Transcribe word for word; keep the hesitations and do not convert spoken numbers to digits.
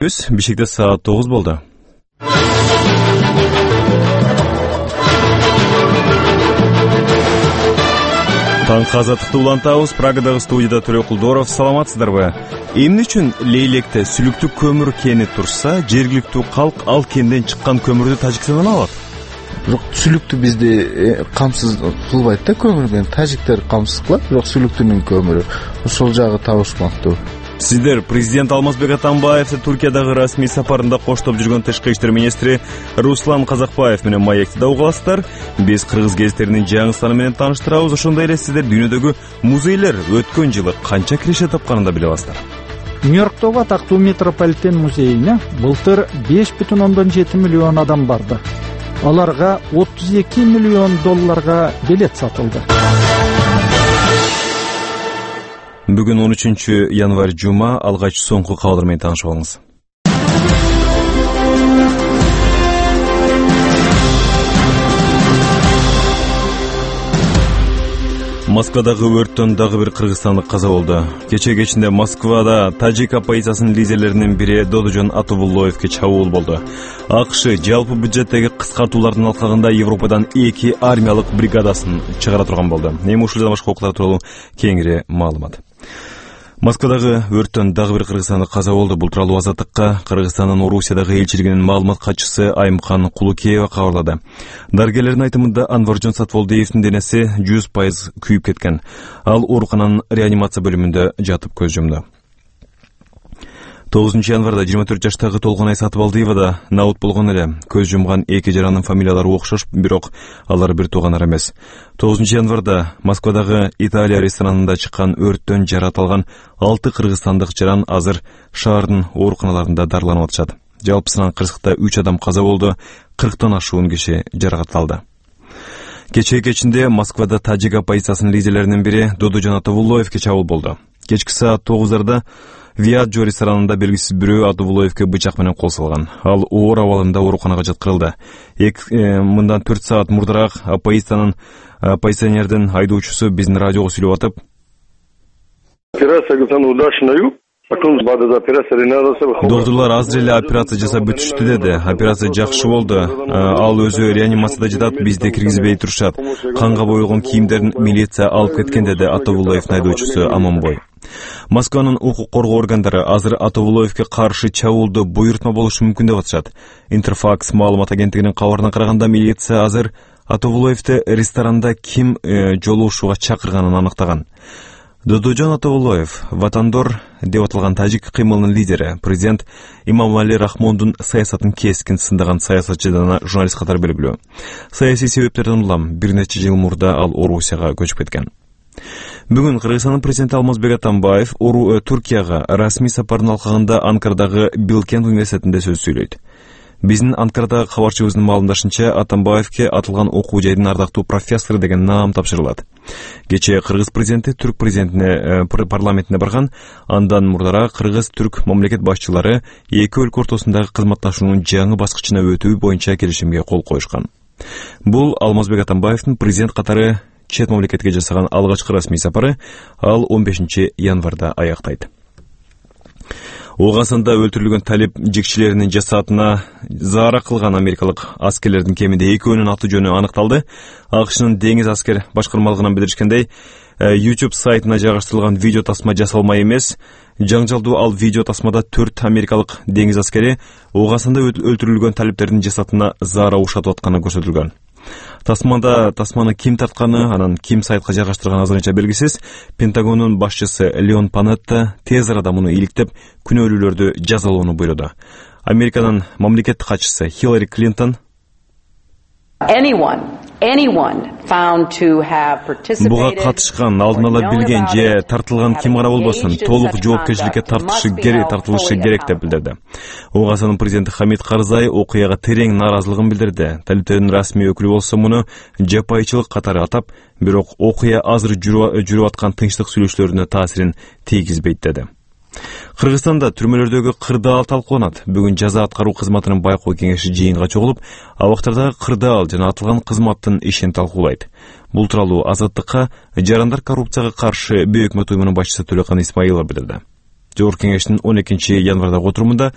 Бишкекте саат тогуз болду. Таңкы азаттыкты улантабыз. Прагадагы студияда Төлөй Кулдоров. Саламатсыздарбы? Эмне үчүн Лейлекте сүлүктүү көмүр кени турса, жергиликтүү калк ал кенден чыккан көмүрдү Тажикстандан алат? Бирок сүлүктү бизде камсыз кылбайт да, көмүр менен тажиктер камсыз кылат, бирок сүлүктүнүн көмүрү ошол жагы табышмактуу. Сиздер президент Алмазбек Атамбаев Түркиядагы расмий сапарында коштоп жүргөн тышкы иштер министри Руслан Казакбаев менен маектиде угасыздар. Биз кыргыз гезиттеринин жаңы саны менен тааныштырабыз. Ошондой эле сиздер дүйнөдөгү музейлер өткөн жылы канча киреше тапканын да биле аласыздар. Нью-Йорктогу атактуу Метрополитен музейине былтыр беш бүтүн ондон жети миллион адам барды. Аларга отуз эки миллион долларга билет сатылды. Бүгүн он үчүнчү январь жума, алгач соңку кабарлар менен таанышып алыңыз. Москвадагы өрттөн дагы бир кыргызстандык каза болду. Кечээ кечинде Москвада тажик оппозициянын лидерлеринин бири Додожон Атабуллоевге чабуул болду. АКШ жалпы бюджеттеги кыскартуулардын алкагында Европадан эки армиялык бригадасын чыгара турган болду. Эми ушул жана башка окуялар тууралуу кеңири маалымат. Москвадагы өрттөн дагы бир кыргызстандык каза болду. Бул тууралуу Азаттыкка Кыргызстандын Орусиядагы элчилигинин маалымат катчысы Айымкан Кулукеева кабарлады. Дарыгерлердин айтымында Анваржон Сатволдиевдин денеси жүз пайыз күйүп кеткен. Ал оорукананын реанимация бөлүмүндө жатып көз жумду. тогузунчу январда жыйырма төрт жаштагы Толгонай Сатыбалдиева да наут болгон эле. Көз жумган эки жаранын фамилиялары окшош, бирок алар бир туугандар эмес. тогузунчу январда Москвадагы Италия ресторанында чыккан өрттөн жарат алган алты кыргызстандык жаран азыр шаардын ооруканаларында дарыланып атышат. Жалпысынан кырсыкта үч адам каза болду, кырктан ашуун киши жаракатталды. Кечээ кечинде Москвада тажик оппозициянын лидерлеринин бири Додожон Атабуллоевге чабуул болду. Кечки саат тогуздарда Виаджо ресторанында белгисиз бирөө Атабуллоевге бычак менен кол салган. Ал оор абалында ооруканага жаткырылды. Мындан төрт саат мурдараак оппозициянын оппозиционердин айдоочусу биздин радиого сүйлөп атып: "Доктурлар азыр эле операция жасап бүтүштү" деди. "Операция жакшы болду. Ал өзү реанимацияда жатат, бизди киргизбей турушат. Канга боелгон кийимдерин милиция алып кеткен" деди Атабуллоевдин айдоочусу Аманбой. Москванын укук коргоо органдары азыр Атабуллоевге каршы чабуулду буйртма болушу мүмкүн деп атышат. Интерфакс маалымат агенттигинин кабарына караганда, милиция азыр Атабуллоевди ресторанда ким жолугушууга чакырганын аныктаган. Додожон Атабуллоев Ватандор деп аталган тажик кыймылынын лидери, президент Имамали Рахмондун саясатын кескин сындаган саясатчы жана журналист катары белгилүү. Саясий себептерден улам бир нече жыл мурда ал Орусияга көчүп кеткен. Бүгүн Кыргызстандын президенти Алмазбек Атамбаев Ору Түркияга расмий сапардын алкагында Анкарадагы Билкент университетинде сөз сүйлөйт. Биздин Анкарадагы кабарчыбыздын маалымдашынча, Атамбаевке атылган окуу жайдын ардактуу профессору деген наам тапшырылат. Кечээ кыргыз президенти түрк президентине парламентине барган. Андан мурдараак кыргыз-түрк мамлекет башчылары эки өлкө ортосундагы кызматташуунун жаңы баскычына өтүү боюнча келишимге кол коюшкан. Бул Алмазбек Атамбаевдин президент катары чет мамлекетке жасаган алгачкы расмий сапары. Ал он бешинчи январда аяктайт. Оғасында өлтүрүлгөн талип жекчилеринин жасаатына заара кылган америкалык аскерлердин кеминде экөөнүн аты жөнү аныкталды. АКШнын деңиз аскер башкармалыгынан билдиришкендей, YouTube сайтына жайгаштырылган видео тасма жасалмай эмес. Жаңжалдуу ал видео тасмада төрт америкалык деңиз аскери оғасында өлтүрүлгөн талиптердин жасаатына заара ушатып атканы көрсөтүлгөн. Тасмада тасманы ким тартканы, анан ким сайтка жайгаштырганы азырынча белгисиз. Пентагондун башчысы Леон Панетта тез арада муну иликтеп, күнөөлүүлөрдү жазалоону буйруду. Американын мамлекеттик катчысы Хиллари Клинтон буга катышкан, алдын ала билген же тартылган ким гана болбосун, толук жоопкерчиликке тартышы керек, тартылышы керек деп билдирди. Оғасынын президенти Хамид Карзай окуяга терең нааразылыгын билдирди. Талиптердин расмий өкүлү болсо муну жапайчылык катары атап, бирок окуя азыр жүрүп аткан тынчтык сүйлөшүүлөрүнө таасирин тийгизбейт деди. Кыргызстанда түрмөлөрдөгү кырдаал талкууланат. Бүгүн жаза аткаруу кызматынын байкоо кеңеши жыйынга чогулуп, абактардагы кырдаал жана атылган кызматтын ишин талкуулайт. Бул тууралуу Азаттыкка жарандар коррупцияга каршы бөө өкмөт уюмунун башчысы Төлөкан Исмаилов билдирди. Жогорку кеңештин он экинчи январдагы отурумунда